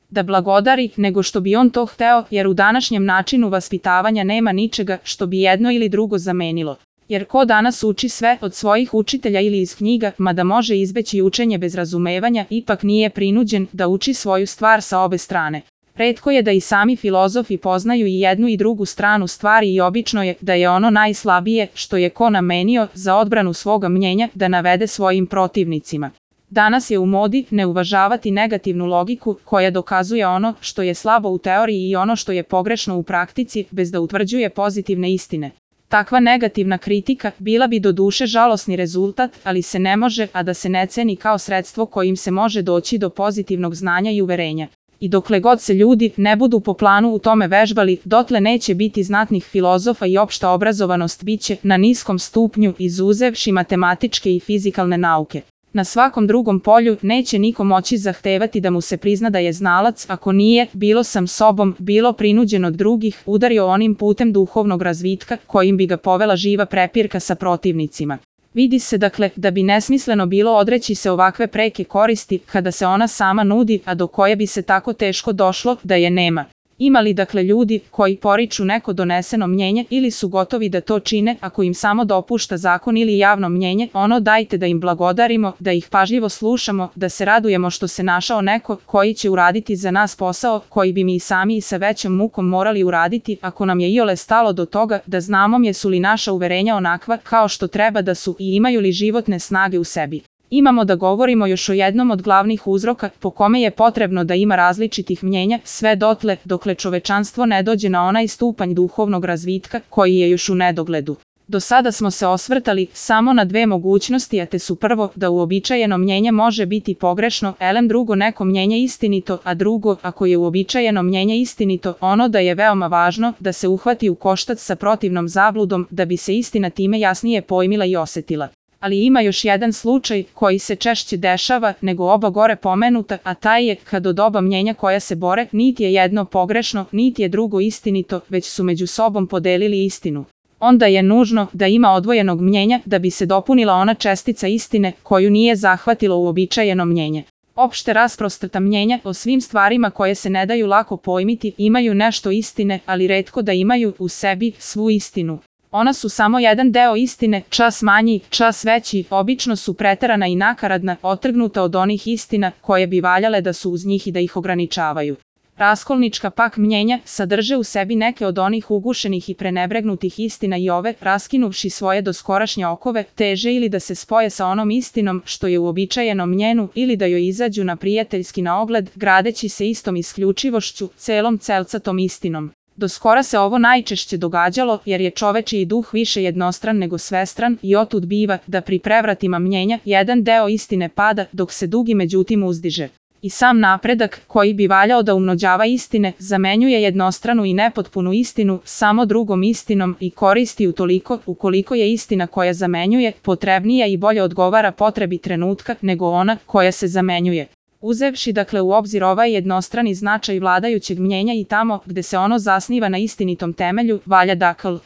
da blagodari, nego što bi on to hteo, jer u današnjem načinu vaspitavanja nema ničega što bi jedno ili drugo zamenilo. Jer ko danas uči sve od svojih učitelja ili iz knjiga, mada može izbeći učenje bez razumevanja, ipak nije prinuđen da uči svoju stvar sa obe strane. Retko je da i sami filozofi poznaju i jednu i drugu stranu stvari i obično je da je ono najslabije što je ko namenio za odbranu svoga mnjenja da navede svojim protivnicima. Danas je u modi ne uvažavati negativnu logiku koja dokazuje ono što je slabo u teoriji i ono što je pogrešno u praktici bez da utvrđuje pozitivne istine. Takva negativna kritika bila bi doduše žalosni rezultat, ali se ne može, a da se ne ceni kao sredstvo kojim se može doći do pozitivnog znanja i uverenja. I dokle god se ljudi ne budu po planu u tome vežbali, dotle neće biti znatnih filozofa i opšta obrazovanost biće na niskom stupnju izuzevši matematičke i fizikalne nauke. Na svakom drugom polju neće niko moći zahtevati da mu se prizna da je znalac ako nije, bilo sam sobom, bilo prinuđen od drugih, udario onim putem duhovnog razvitka kojim bi ga povela živa prepirka sa protivnicima. Vidi se dakle da bi nesmisleno bilo odreći se ovakve preke koristi kada se ona sama nudi, a do koje bi se tako teško došlo da je nema. Ima li dakle ljudi koji poriču neko doneseno mnjenje ili su gotovi da to čine ako im samo dopušta zakon ili javno mnjenje, ono dajte da im blagodarimo, da ih pažljivo slušamo, da se radujemo što se našao neko koji će uraditi za nas posao koji bi mi i sami i sa većom mukom morali uraditi ako nam je iole stalo do toga da znamo jesu li naša uverenja onakva kao što treba da su i imaju li životne snage u sebi. Imamo da govorimo još o jednom od glavnih uzroka po kome je potrebno da ima različitih mnjenja sve dotle dokle čovečanstvo ne dođe na onaj stupanj duhovnog razvitka koji je još u nedogledu. Do sada smo se osvrtali samo na dve mogućnosti, a te su prvo da uobičajeno mnjenje može biti pogrešno, drugo neko mnjenje istinito, a drugo, ako je uobičajeno mnjenje istinito, ono da je veoma važno da se uhvati u koštac sa protivnom zabludom da bi se istina time jasnije pojmila i osetila. Ali ima još jedan slučaj koji se češće dešava nego oba gore pomenuta, a taj je kad od oba mnjenja koja se bore, niti je jedno pogrešno, niti je drugo istinito, već su među sobom podelili istinu. Onda je nužno da ima odvojenog mnjenja da bi se dopunila ona čestica istine koju nije zahvatilo uobičajeno mnjenje. Opšte rasprostrata mnjenja o svim stvarima koje se ne daju lako pojmiti imaju nešto istine, ali retko da imaju u sebi svu istinu. Ona su samo jedan deo istine, čas manji, čas veći, obično su preterana i nakaradna, otrgnuta od onih istina koje bi valjale da su uz njih i da ih ograničavaju. Raskolnička pak mnjenja sadrže u sebi neke od onih ugušenih i prenebregnutih istina i ove, raskinuvši svoje doskorašnje okove, teže ili da se spoje sa onom istinom što je uobičajeno mnjenu ili da joj izađu na prijateljski na ogled, gradeći se istom isključivošću, celom celcatom istinom. Do skora se ovo najčešće događalo jer je čovečiji duh više jednostran nego svestran i otud biva da pri prevratima mnjenja jedan deo istine pada dok se drugi međutim uzdiže. I sam napredak koji bi valjao da umnođava istine zamenjuje jednostranu i nepotpunu istinu samo drugom istinom i koristi utoliko ukoliko je istina koja zamenjuje potrebnija i bolje odgovara potrebi trenutka nego ona koja se zamenjuje. Uzevši dakle u obzir ovaj jednostrani značaj vladajućeg mnjenja i tamo gde se ono zasniva na istinitom temelju, valja dakle